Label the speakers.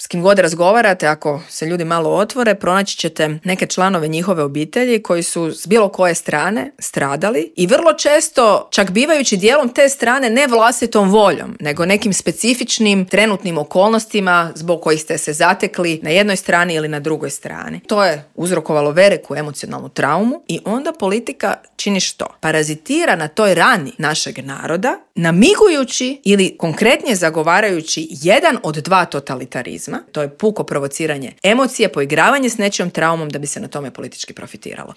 Speaker 1: s kim god razgovarate, ako se ljudi malo otvore, pronaći ćete neke članove njihove obitelji koji su s bilo koje strane stradali i vrlo često čak bivajući dijelom te strane ne vlastitom voljom, nego nekim specifičnim trenutnim okolnostima zbog kojih ste se zatekli na jednoj strani ili na drugoj strani. To je uzrokovalo veliku emocionalnu traumu i onda politika čini što? Parazitira na toj rani našeg naroda, namigujući ili konkretnije zagovarajući jedan od dva totalitarizma, to je puko provociranje emocije, poigravanje s nečijom traumom da bi se na tome politički profitiralo.